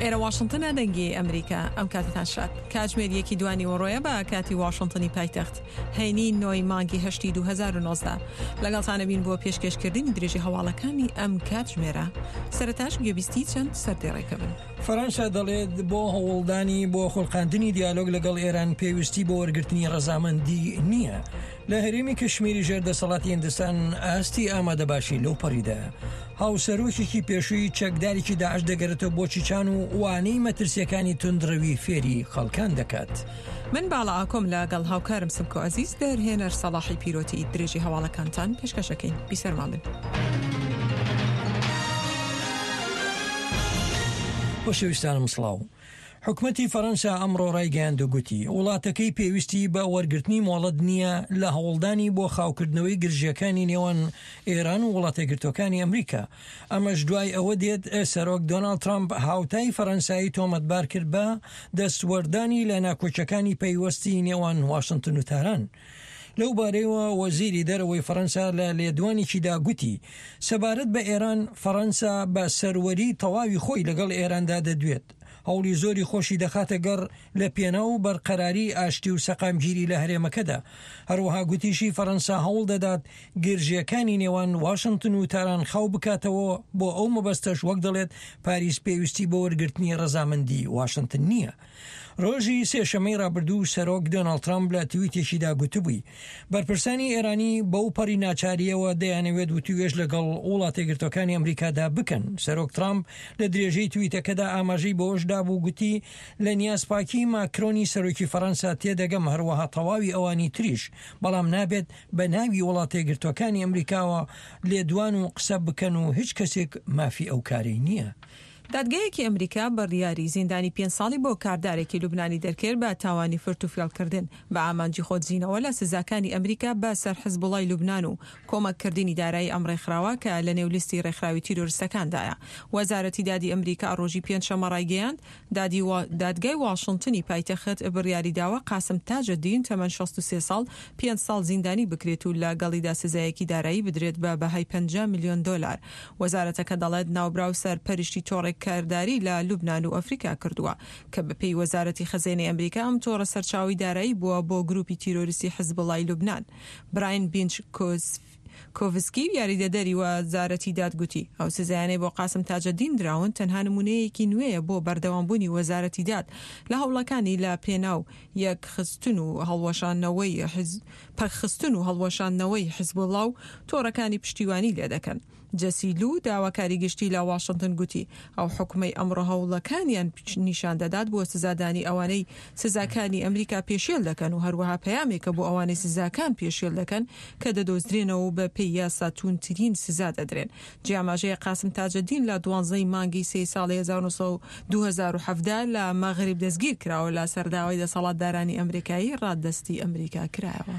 ئێرە واشنتنە دەنگی ئەمریکا ئەم کاتتان شاد کاتژمێر یەکی دوانی وەڕۆیە بە کاتی واشنتنی پایتەخت هەینی نۆی مانگی هەشتی 2019 لەگەڵتانە بین بۆ پێشکێشکردنی درێژی هەواڵەکانی ئەم کاتژمێرە سەرتاش گوێبیستی چەند سەردێڕێکە بن. فەرەنسا دەڵێت بۆ هەوڵدانی بۆ خوڵقاندنی دیالۆگ لەگەڵ ئێران پێویستی بۆ وەرگرتنی ڕەزامەندی نییە. لە هەرێمی کشمیری ژێر دەسەڵاتی هندستان ئاستی ئامادەباشی لەو پەڕیدایە. هاوسەرۆکێکی پێشووی چەکدارێکی داعش دەگەرێتەوە بۆ چیچان و وانەی مەترسیەکانی توندڕەوی فێری خەڵکان دەکات. من باڵا ئاکۆم لە گەڵ هاوکارم سمکۆ ئەزیز دەرهێنەر سەڵاحی پیرۆتی درێژی هەواڵەکانتان پێشکەشەکەین بیسەرمان بن. خۆشەویستانم سڵاو. حکومەتی فەرەنسا ئەمڕۆ ڕایگەیاند و گوتی، وڵاتەکەی پێویستی بە وەرگرتنی مۆڵەت نییە لە هەوڵدانی بۆ خاوکردنەوەی گرژییەکانی نێوان ئێران و وڵاتەیەکگرتووەکانی ئەمریکا. ئەمەش دوای ئەوە دێت سەرۆک دۆناڵد ترەمپ هاوتای فەرەنسایی تۆمەتبار کرد بە دەستوەردانی لە ناکۆکیەکانی پەیوەستی نێوان واشنتن و تاران. لەو بارەیەوە وەزیری دەرەوەی فەرەنسا لە لێدوانێکیدا گوتی، سەبارەت بە ئێران، فەرەنسا بە سەروەری تەواوی خۆی لەگەڵ ئێراندا دەدوێت، هەوڵی زۆری خۆشی دەخاتە گەڕ لە پێناو بەرقەراری ئاشتی و سەقامگیری لە هەرێمەکەدا. هەروەها گوتیشی فەرەنسا هەوڵ دەدات گرژییەکانی نێوان واشنتن و تاران خاو بکاتەوە، بۆ ئەو مەبەستەش وەک دەڵێت پاریس پێویستی بۆ وەرگرتنی ڕەزامەندی واشنتن نییە. ڕۆژی سێشەممەی ڕابردوو سەرۆک دۆناڵد ترامپ لە تویتێکیدا گوتبووی، بەرپرسانی ئێرانی بەو پەڕی ناچارییەوە دەیانەوێت وتووێژ لەگەڵ وڵاتەیەکگرتووەکانی ئەمریکادا بکەن. سەرۆک ترامپ لە درێژەی تویتەکەدا ئاماژەی بەوەش دابوو گوتی، لە نیازپاکیی ماکرۆنی سەرۆکی فەرەنسا تێدەگەم هەروەها تەواوی ئەوانی تریش، بەڵام نابێت بە ناوی وڵاتەیەکگرتووەکانی ئەمریکاوە لێدوان و قسە بکەن و هیچ کەسێک مافی ئەو کارەی نییە. دادگایەکی ئەمریکا بڕیاری زیندانی پێنج ساڵی بۆ کاردارێکی لوبنانی دەرکرد بە تاوانی فرتوفێڵکردن بە ئامانجی خۆدزینەوە لە سزاکانی ئەمریکا بە سەر حزبوڵای لوبنان و کۆمەککردنی دارایی ئەم ڕێکخراوە کە لە نێو لیستی ڕێکخراوی تیرۆرستەکاندایە. وەزارەتی دادی ئەمریکا ڕۆژی پێنجشەممە ڕایگەیاند، دادی دادگای واشنتنی پایتەخت بڕیاری داوە قاسم تاجەدین تەمەن 63 ساڵ پێنج ساڵ زیندانی بکرێت و لەگەڵیدا سزایەکی دارایی بدرێت بە بەهای 50 ملیۆن دۆلار. وەزارەتەکە دەڵێت ناوبراو سەرپەرشتی تۆڕێک کارداری لە لوبنان و ئەفریکا کردووە کە بەپێی وەزارەتی خەزێنەی ئەمریکا ئەم تۆڕە سەرچاوەی دارایی بووە بۆ گروپی تیرۆریستی حزبوڵای لوبنان. براین بینچ کۆڤسکی یاریدەدەری وەزارەتی داد گوتی، ئەو سزایانەی بۆ قاسم تاجەدین دراون تەنها نمونەیەکی نوێیە بۆ بەردەوامبوونی وەزارەتی داد لە هەوڵەکانی لە پێناو یەکخستن و هەڵوەشاندنەوەی پەکخستن و هەڵوەشاندنەوەی حزبوڵا و تۆڕەکانی پشتیوانی لێدەکەن. جەسی لو، داواکاری گشتی لە واشنتن گوتی، ئەو حوکمەی ئەمڕۆ هەوڵەکانیان نیشان دەدات بۆ سزادانی ئەوانەی سزاکانی ئەمریکا پێشێل دەکەن و هەروەها پەیامێکە بۆ ئەوانەی سزاکان پێشێل دەکەن کە دەدۆزرێنەوە و بە پێی یاسا تووندترین سزا دەدرێن. جێی ئاماژەیە قاسم تاجەدین لە دوانزەی مانگی سێی ساڵی 2017 لە مەغریب دەستگیر کراوە لە سەر داوای دەسەڵاتدارانی ئەمریکایی ڕادەستی ئەمریکا کرایەوە.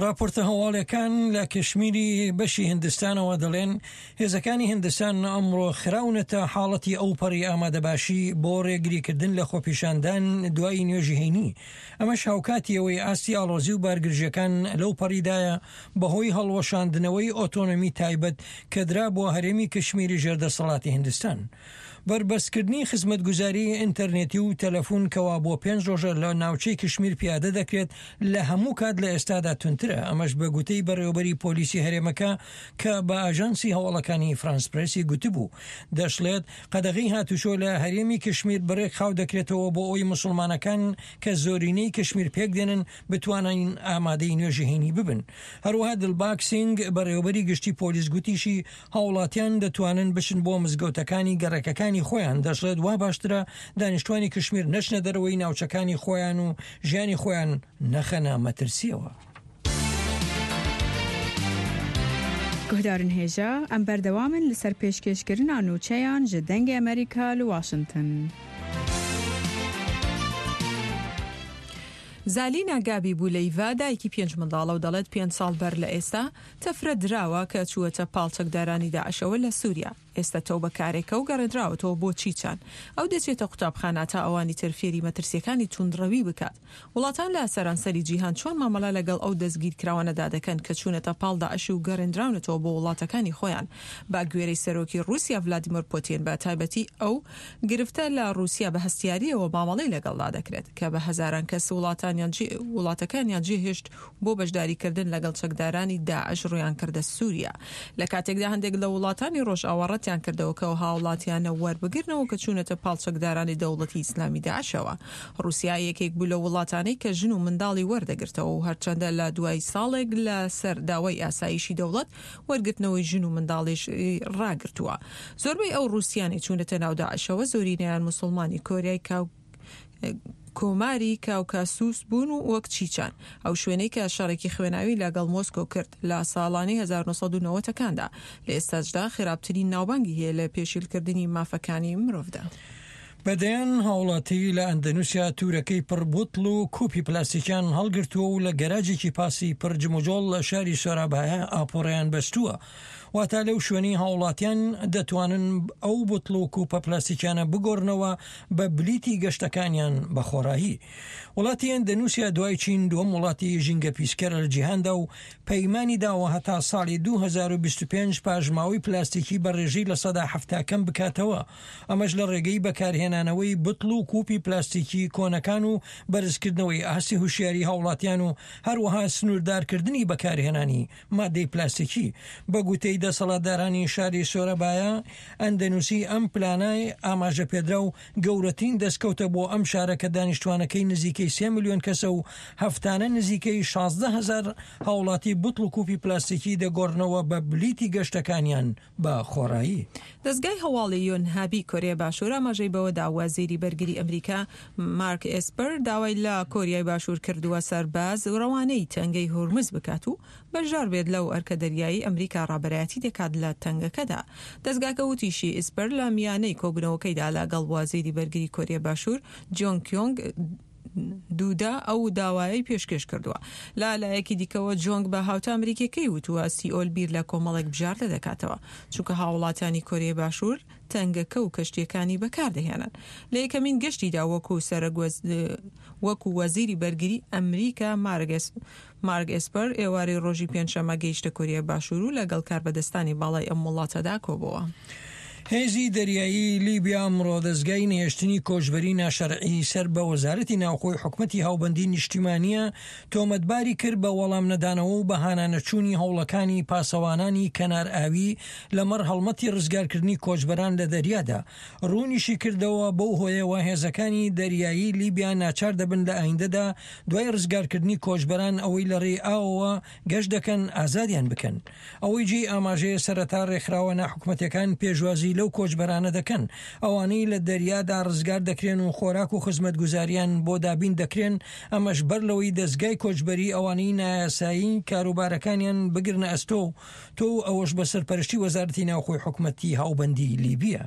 ڕاپۆرتە هەواڵیەکان لە کشمیری بەشی هندستانەوە دەڵێن، هێزەکانی هندستان ئەمڕۆ خراونەتە حاڵەتی ئەوپەڕی ئامادەباشی بۆ ڕێگریکردن لە خۆپیشاندان دوای نوێژی هەینی، ئەمەش هاوکاتی ئەوەی ئاستی ئاڵۆزی و بارگرژیەکان لەو پەڕیدایە بەهۆی هەڵوەشاندنەوەی ئۆتۆنۆمی تایبەت کە درابووە هەرێمی کشمیری ژێر دەسەڵاتی هندستان. بەربەستکردنی خزمەتگوزاری ئینتەرنێتی و تەلەفون کەوا بۆ پێنج ڕۆژە لە ناوچەی کشمیر پیادە دەکرێت لە هەموو کات لە ئێستادا توندترە، ئەمەش بە گوتەی بەڕێوەبەری پۆلیسی هەرێمەکە کە بە ئاژانسی هەواڵەکانی فرانس پرێسی گوتبوو. دەشڵێت، قەدەغەی هاتوچۆ لە هەرێمی کشمیر بڕێک خاو دەکرێتەوە بۆ ئەوەی موسڵمانەکان کە زۆرینەی کشمیر پێکدێنن بتوانن ئامادەی نوێژی هەینی ببن. هەروەها دلباگ سینگ، بەڕێوەبەری گشتی پۆلیس گوتیشی، هاوڵاتیان دەتوانن بچن بۆ مزگەوتەکانی گەڕەکەکانی خۆیان، دەشڵێت وا باشترە دانیشتوانی کشمیر نەچنە دەرەوەی ناوچەکانی خۆیان و ژیانی خۆیان نەخەنە مەترسیەوە. Guhdarên hêja, em berdewam in li ser pêşkêşkirina nûçeyan ji Dengê Amerîka li Washington. زالینا گابی بولەیڤا دایکی پێنج منداڵە و دەڵێت پێنج ساڵ بەر لە ئێستا تەفرە دراوە کە چووەتە پاڵ چەکدارانی داعشەوە لە سووریا. ئێستا تەوبەکارێکە و گەڕێندراوەتەوە بۆ چیچان. ئەو دەچێتە قوتابخانە تا ئەوانی تر فێری مەترسییەکانی توندڕەوی بکات. وڵاتان لە سەرانسەری جیهان چۆن مامەڵە لەگەڵ ئەو دەستگیرکراوانەدا دەکەن کە چوونەتە پاڵ داعش و گەڕێندراونەتەوە بۆ وڵاتەکانی خۆیان؟ بە گوێرەی سەرۆکی ڕووسیا ڤلادیمۆر پۆتین بە تایبەتی ئەو گرفتە لە ڕووسیا بە هەستیارییەوە مامەڵەی لەگەڵدا دەکرێت کە بە هەزاران کەس وڵاتانیان وڵاتەکانیان جێهێشت بۆ بەشداریکردن لەگەڵ چەکدارانی داعش ڕوویان کردە سووریا لە کاتێکدا هەندێک لە وڵاتانی ڕۆژئاوا ڕەتیان کردەوە کە ئەو هاوڵاتیانە وەربگرنەوە کە چوونەتە پاڵ چەکدارانی دەوڵەتی ئیسلامی داعشەوە. ڕووسیا یەکێک بوو لەو وڵاتانەی کە ژن و منداڵی وەردەگرتەوە و هەرچەندە لە دوای ساڵێک لە سەر داوای ئاسایشی دەوڵەت وەرگرتنەوەی ژن و منداڵیش ڕاگرتووە. زۆربەی ئەو ڕووسیانەی چوونەتە ناو داعشەوە زۆرینەیان موسڵمانی کۆریای کۆماری کاوکاسوس بوون و وەک چیچان، ئەو شوێنەی کە شەڕێکی خوێناوی لەگەڵ مۆسکۆ کرد لە ساڵانی 1990 ەکاندا، لە ئێستاشدا خراپترین ناوبانگی هەیە لە پێشیلکردنی مافەکانی مرۆڤدا. بە دەیان هاوڵاتی لە ئەندەنوسیا تورەکەی پڕ بوتڵ و کوپی پلاستیکیان هەڵگرتووە و لە گەراجێکی پاسی پڕ جموجۆڵ لە شاری سۆرابایا ئاپۆرەیان بەستووە. واتا لەو شوێنەی هاوڵاتیان دەتوانن ئەو بوتڵ و کوپە پلاستیکیانە بگۆڕنەوە بە بلیتی گەشتەکانیان بە خۆڕایی. وڵاتی ئەندەنوسیا دوای چین دووەم وڵاتی ژینگە پیسکەرە لە جیهاندا و پەیمانی داوە هەتا ساڵی 2025 پاشماوەی پلاستیکی بە ڕێژەی 70% کەم بکاتەوە، ئەمەش لە ڕێگەی بەکارهێنانەوەی بتڵ و کوپی پلاستیکی کۆنەکان و بەرزکردنەوەی ئاستی هوشیاری هاوڵاتیان و هەروەها سنووردارکردنی بەکارهێنانی مادەی پلاستیکی. بە گوتەی دەسەڵاتدارانی شاری سۆرەبایا، ئەندەنوسی ئەم پلانە ئاماژەپێدراو گەورەترین دەستکەوتە بۆ ئەم شارە کە دانیشتوانەکەی نزیکەی سێ ملیۆن کەسە و هەفتانە نزیکەی 16 هەزار هاوڵاتی بوتڵ و کوپی پلاستیکی دەگۆڕنەوە بە بلیتی گەشتەکانیان بە خۆڕایی. دەزگای هەواڵی یۆنهابی کۆریای باشوور ئاماژەی بەوەدا، وەزیری بەرگری ئەمریکا مارک ئێسپەر داوای لە کۆریای باشوور کردووە سەرباز رەوانەی تەنگەی هورمز بکات و بەشدار بێت لەو ئەرکە دەریایی ئەمریکا رابەرایەتی دەکات لە تەنگەکەدا. دەزگاکە وتیشی، ئیسپەر لە میانەی کۆبوونەوەکەیدا لەگەڵ وەزیری بەرگری کۆریای باشوور جۆنگ کیۆنگ دوودا ئەو داوایەی پێشکێش کردووە. لە لایەکی دیکەوە جۆنگ بە هاوتا ئەمریکیەکەی وتووە سیئۆل بیر لە کۆمەڵێک بژاردە دەکاتەوە، چونکە هاوڵاتیانی کۆریای باشوور تەنگەکە و کەشتیەکانی بەکاردەهێنن. لە یەکەمین گەشتیدا وەکو وەکو وەزیری بەرگری ئەمریکا مارک ئێسپەر ئێوارەی ڕۆژی پێنجشەممە گەیشتە کۆریای باشوور و لەگەڵ کاربەدەستانی باڵای ئەم وڵاتەدا کۆبۆوە. هێزی دەریایی لیبیا ئەمڕۆ دەزگای نەهێشتنی کۆچبەری ناشەرعی سەر بە وەزارەتی ناوخۆی حکومەتی هاوبەندی نیشتیمانییە تۆمەتباری کرد بە وەڵامنەدانەوە و بە هانانەچوونی هەوڵەکانی پاسەوانانی کەنار ئاوی لەمەڕ هەڵمەتی ڕزگارکردنی کۆچبەران لە دەریادا. ڕوونیشی کردەوە، بەو هۆیەوە هێزەکانی دەریایی لیبیا ناچار دەبن لە ئایندەدا دوای ڕزگارکردنی کۆچبەران ئەوەی لە ڕێی ئاوەوە گەشت دەکەن ئازادیان بکەن. ئەوەی جێی ئاماژەیە سەرەتا ڕێکخراوە ناحکومەتیەکان پێشوازی لەو کۆچبەرانە دەکەن ئەوانەی لە دەریادا ڕزگار دەکرێن و خۆراک و خزمەتگوزاریان بۆ دابین دەکرێن ئەمەش بەر لەوەی دەزگای کۆچبەری ئەوانەی نایاسایی کاروبارەکانیان بگرنە ئەستۆ تۆ و ئەوەش بە سەرپەرشتی وەزارەتی ناوخۆی حکومەتی هاوبەندی لیبیە.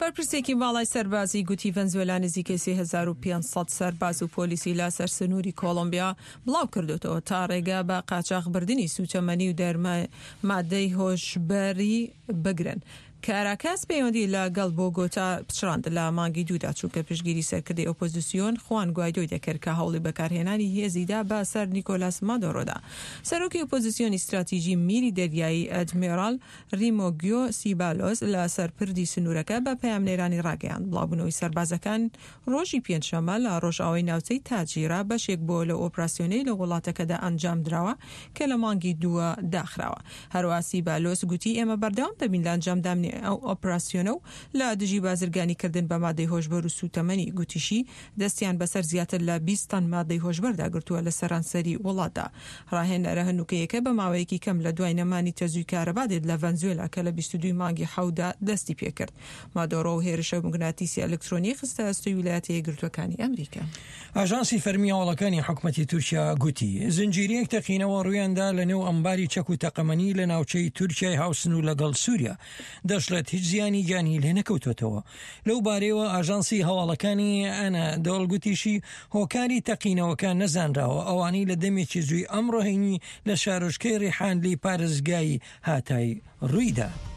بەرپرسێکی باڵای سەربازی گوتی ڤەنزوێلا نزیکەی 3500 سەرباز و پۆلیسی لە سەر سنووری کۆڵۆمبیا بڵاو کردوتەوە تا ڕێگە بە قاچاخبردنی سووتەمەنی و دەرمە مادەی هۆشبەری بگرن. کاراکاس پەیوەندی لە گەڵ بۆگۆتا پچڕاند لە مانگی دوودا چونکە پشتگیری سەرکردەی ئۆپۆزیسیۆن خوان گوایدۆی دەکرد کە هەوڵی بەکارهێنانی هێزی دا بە سەر نیکۆلاس مادۆرۆدا. سەرۆکی ئۆپۆزیسیۆنی ستراتیژی میری دەریایی ئەدمیرال ریمۆگیۆ سیبالۆس لە سەر پردی سنوورەکە بە پەیامنێرانی ڕاگەیاند، بڵاوبوونەوەی سەربازەکان ڕۆژی پێنجشەممە لە ڕۆژئاوای ناوچەی تاجیرا بەشێک بووە لەو ئۆپراسیۆنەی لە وڵاتەکەدا ئەنجامدراوە کە لە مانگی دووە داخراوە. هەروەها سیبالۆس گوتی ئێمە بەردەوام دەبین لە ئەنجامدانی ئەو ئۆپراسیۆنە و لە دژی بازرگانیکردن بە مادەی هۆشبەر و سووتەمەنی، گوتیشی دەستیان بەسەر زیاتر لە 20 تەن مادەی هۆشبەردا گرتووە لە سەرانسەری وڵاتدا. ڕاهێنەرە هەنووکەیەکە بە ماوەیەکی کەم لە دوای نەمانی تەزووی کارەبا دێت لە ڤەنزوێلا کە لە 22 مانگی حەوتدا دەستی پێکرد. مادۆرۆ و هێرشە موگناتیسی ئەلکترۆنیی خستە ئەستۆی ویلایەتە یەکگرتووەکانی ئەمریکا. ئاژانسی فەرمی هەواڵەکانی حکومەتی تورکیا گوتی، زنجیرەیەک تەقینەوە ڕوویاندا لەنێو ئەمباری چەک و تەقەمەنی لە ناوچەی تورکیای هاوسنوور لەگەڵ سووریا، دەشڵێت هیچ زیانی گیانی لێنەکەوتووەتەوە. لەو بارەیەوە ئاژانسی هەواڵەکانی ئەنادۆڵ گوتیشی، هۆکاری تەقینەوەکە نەزانراوە، ئەوانەی لە دەمێکی زووی ئەمڕۆ هەینی لە شارۆچکەی ڕیحانلی پارێزگای هاتای ڕوویدا.